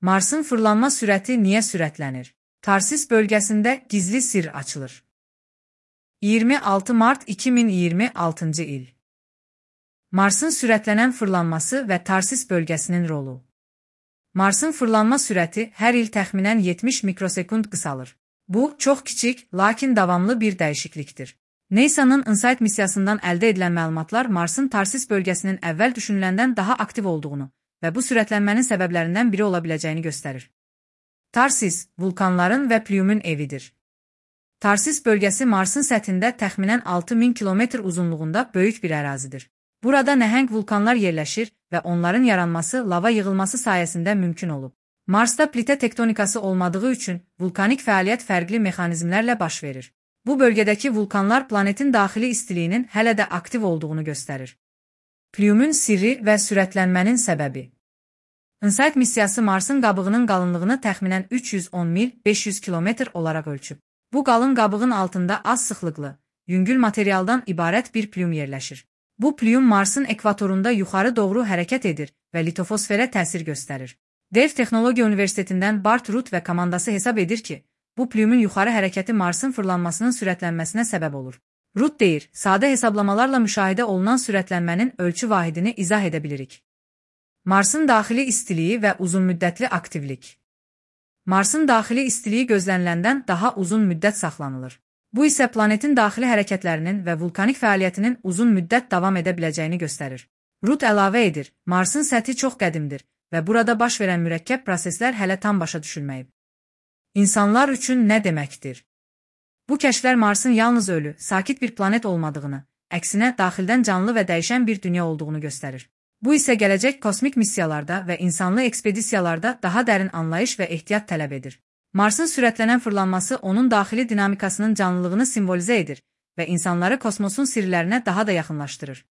Marsın fırlanma sürəti niyə sürətlənir? Tarsis bölgəsində gizli sirr açılır. 26 mart 2026-cı il. Marsın sürətlənən fırlanması və Tarsis bölgəsinin rolu. Marsın fırlanma sürəti hər il təxminən 70 mikrosekund qısalır. Bu, çox kiçik, lakin davamlı bir dəyişiklikdir. NASA'nın InSight missiyasından əldə edilən məlumatlar Marsın Tarsis bölgəsinin əvvəl düşünüləndən daha aktiv olduğunu və bu sürətlənmənin səbəblərindən biri ola biləcəyini göstərir. Tarsis, vulkanların və Plyumun evidir. Tarsis bölgəsi Marsın səthində təxminən 6000 kilometr uzunluğunda böyük bir ərazidir. Burada nəhəng vulkanlar yerləşir və onların yaranması lava yığılması sayəsində mümkün olub. Marsda plitə tektonikası olmadığı üçün vulkanik fəaliyyət fərqli mexanizmlərlə baş verir. Bu bölgədəki vulkanlar planetin daxili istiliyinin hələ də aktiv olduğunu göstərir. Plyumun sirri və sürətlənmənin səbəbi. InSight missiyası Marsın qabığının qalınlığını təxminən 310 mil 500 kilometr olaraq ölçüb. Bu qalın qabığın altında az sıxlıqlı, yüngül materialdan ibarət bir plyum yerləşir. Bu plyum Marsın ekvatorunda yuxarı doğru hərəkət edir və litosferə təsir göstərir. Dev Texnologiya Universitetindən Bart Ruth və komandası hesab edir ki, bu plyumun yuxarı hərəkəti Marsın fırlanmasının sürətlənməsinə səbəb olur. Ruth deyir, sadə hesablamalarla müşahidə olunan sürətlənmənin ölçü vahidini izah edə bilirik. Marsın daxili istiliyi və uzunmüddətli aktivlik. Marsın daxili istiliyi gözləniləndən daha uzun müddət saxlanılır. Bu isə planetin daxili hərəkətlərinin və vulkanik fəaliyyətinin uzun müddət davam edə biləcəyini göstərir. Ruth əlavə edir, Marsın səthi çox qədimdir və burada baş verən mürəkkəb proseslər hələ tam başa düşülməyib. İnsanlar üçün nə deməkdir? Bu kəşflər Marsın yalnız ölü, sakit bir planet olmadığını, əksinə daxildən canlı və dəyişən bir dünya olduğunu göstərir. Bu isə gələcək kosmik missiyalarda və insanlı ekspedisiyalarda daha dərin anlayış və ehtiyat tələb edir. Marsın sürətlənən fırlanması onun daxili dinamikasının canlılığını simvolizə edir və insanları kosmosun sirlərinə daha da yaxınlaşdırır.